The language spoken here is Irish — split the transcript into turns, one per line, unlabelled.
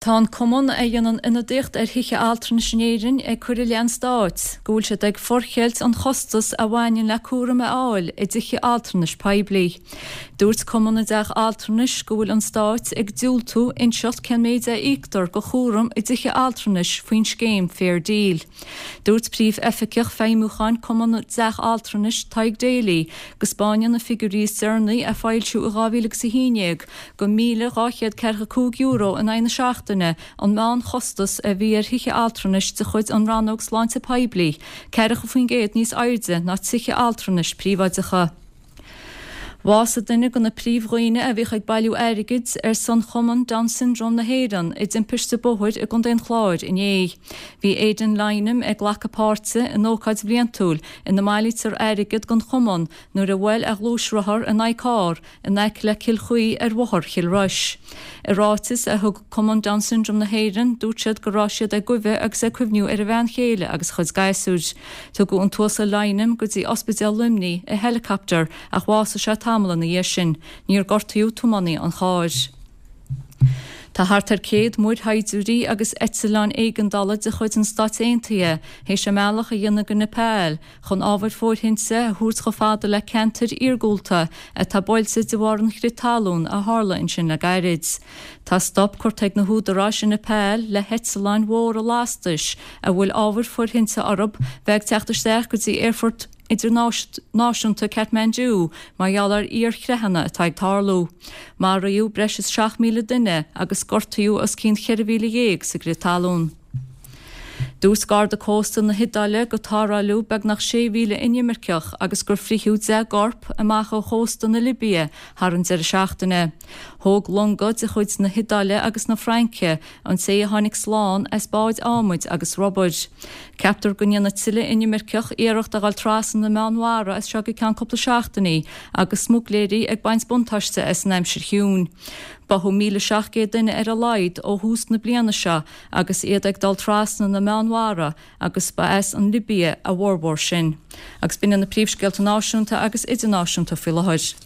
Tá an cumann a dhéanann ionadaíocht ar thithe altranais in Éirinn ag cur i leith an stáit go bhfuil siad ag forcheilt an chostais a bhaineann le cúram a fháil i dtithe altranais poiblí. Dúirt Cumann na dTeach Altranais go bhfuil an stáit ag diúltú inseacht cén méid a íoctar do chúram i dtithe altranais faoin scéim Fair Deal. Dúirt Príomh-Oifigeach Feidhmiúcháin Cumann na dTeach Altranais, Tadhg Daly, go 'spáineann na figiúirí is deireanaí a foilsíodh i 2011 gur €1,245 in aghaidh na seachtaine an meánchostas a bhí ar thithe altranais de chuid an Rannóg Sláinte Poiblí, 40% níos airde ná tithe altranais príobháideacha. Bhásaigh duine de na príomhdhaoine a bhíodh ag bailiú airgid ar son Chumann Down Syndrome na hÉireann i dtimpiste bóthair i gContae an Chláir inné. Bhí Aidan Lynam ag glacadh páirte in ócáid bhliantúil ina mbailítear airgead don chumann nuair a bhuail a ghluaisrothar in aghaidh carr in aice le Cill Chaoi ar Bhóthar Chill Rois. I ráiteas a thug Cumann Down Syndrome na hÉireann, dúirt siad go raibh siad ag goimh agus ag cuimhniú ar a bhean chéile agus a chuid gasúir. Tugadh an tUasal Lynam go dtí Ospidéal Luimnigh i helicopter ach bhásaigh sé tamall ina dhiaidh sin. Níor gortaíodh tiománaí an chairr. Tá thart ar 100 muirshaighdiúirí agus eitleáin éigeandála de chuid an Stáit Aontaithe théis a mbealach a dhéanamh go Nepal chun ábhair fóirthinte a thabhairt chomh fada le ceantair iargúlta atá buailte de bharr an chrith talún a tharla ansin le gairid. Tá stop curtha ag na húdaráis i Nepal le heitleáin mhóra lastais a bhfuil ábhair fóirthinte orthu bheith ag teacht isteach go dtí aerfort idirnáisiúnta Kathmandu mar gheall ar fhíorchreathanna atá ag tarlú. Maraíodh breis is 7,000 duine agus gortaíodh os cionn 14,000 sa gcrith talún. Dúirt Garda Cósta na hIodáile gur tarrtháladh beagnach 6,000 inimirceach agus gur fritheadh 10 gcorp amach ó chósta na Libia thar an deireadh seachtaine. Thóg longa de chuid na hIodáile agus na Fraince an té a tháinig slán as báid adhmaid agus rubair. Ceaptar go ndéanfaidh tuilleadh inimirceach iarracht a dhul trasna na Meánmhara as seo go ceann cúpla seachtainí agus smuigléirí ag baint buntáiste as an aimsir chiúin. Báthadh 1,700 duine ar a laghad ó thús na bliana seo agus iad ag dul trasna na Meánmhara agus ba as an Libia a bhformhór sin. Agus b'in iad na príomhscéalta náisiúnta agus idirnáisiúnta faoi láthair.